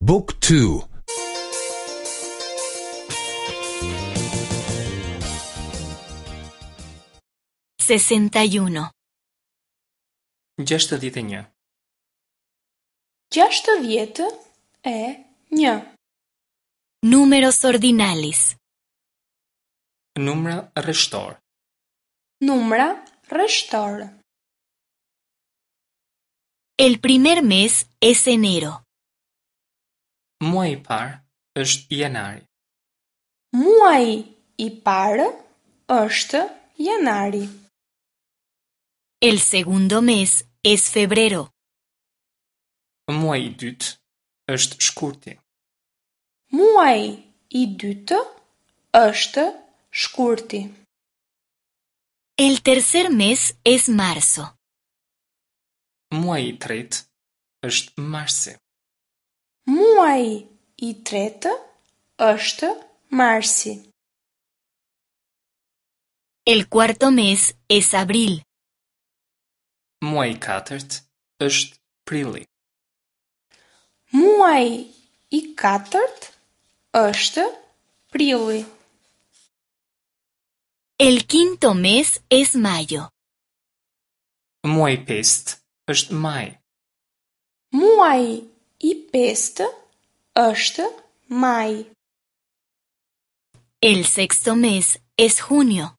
Book 2 61. 61. 61. Números ordinales. Numra rreshtor. Numra rreshtor. El primer mes es enero. Muaji i parë është janari. Muaji i parë është janari. El segundo mes es febrero. Muaji i dytë është shkurti. Muaji i dytë është shkurti. El tercer mes es marzo. Muaji i tretë është marsi. Muaji i tretë është marsi. El cuarto mes es abril. Muaji i katërt është prilli. Muaji i katërt është prilli. El quinto mes es mayo. Muaji i pestë është maji. Muaji i pestë është maji. El sexto mes es junio.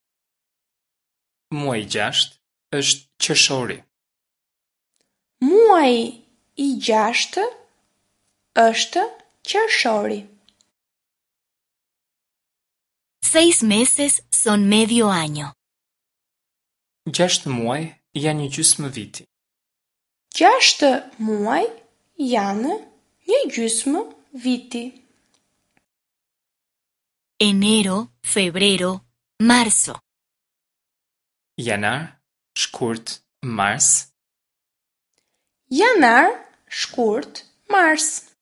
Muaji i gjashtë është qershori. Muaji i gjashtë është qershori. Seis meses son medio año. Gjashtë muaj janë një gjysmë viti. Gjashtë muaj janë një gjysmë viti. Enero, febrero, marzo. Janar, shkurt, mars. Janar, shkurt, mars.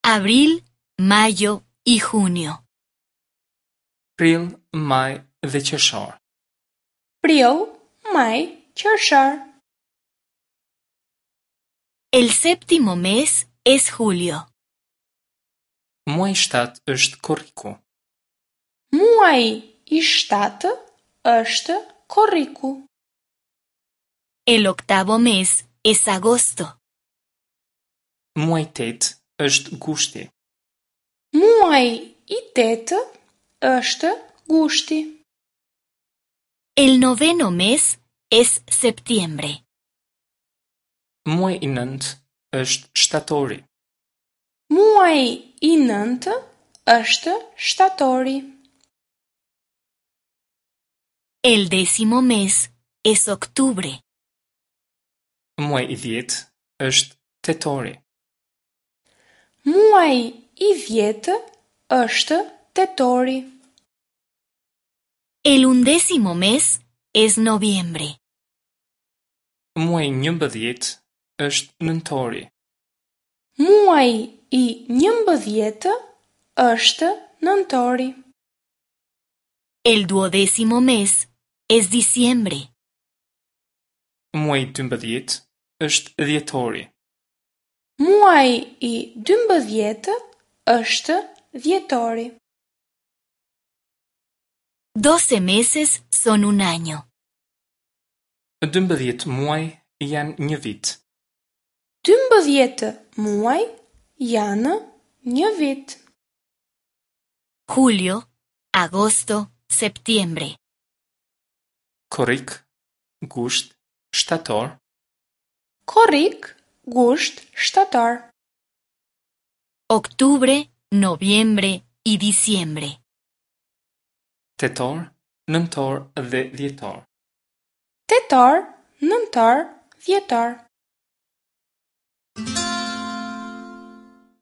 Abril, mayo y junio. Prill, maj dhe qershor. Prill, maj, qershor. El séptimo mes es julio. Muaji i shtatë është korriku. Muaji i shtatë është korriku. El octavo mes es agosto. Muaji i tetë është gushti. Muaji i tetë është gushti. El noveno mes es septiembre. Muaji i nëntë është shtatori. Muaji i nëntë është shtatori. El décimo mes es octubre. Muaji i dhjetë është tetori. Muaji i dhjetë është tetori. El undécimo mes es noviembre. Muaji i 11 është nëntori. Muaji i 11 është nëntori. El duodécimo mes es diciembre. Muaji i 12 është dhjetori. Muaji i 12 është dhjetori. Doce meses son un año. 12 muaj janë një vit. 12 muaj janë një vit. Julio, agosto, septiembre. Korrik, gusht, shtator. Korrik, gusht, shtator. Octubre, noviembre y diciembre. Tetor, nëntor dhe dhjetor. Tetor, nëntor, dhjetor.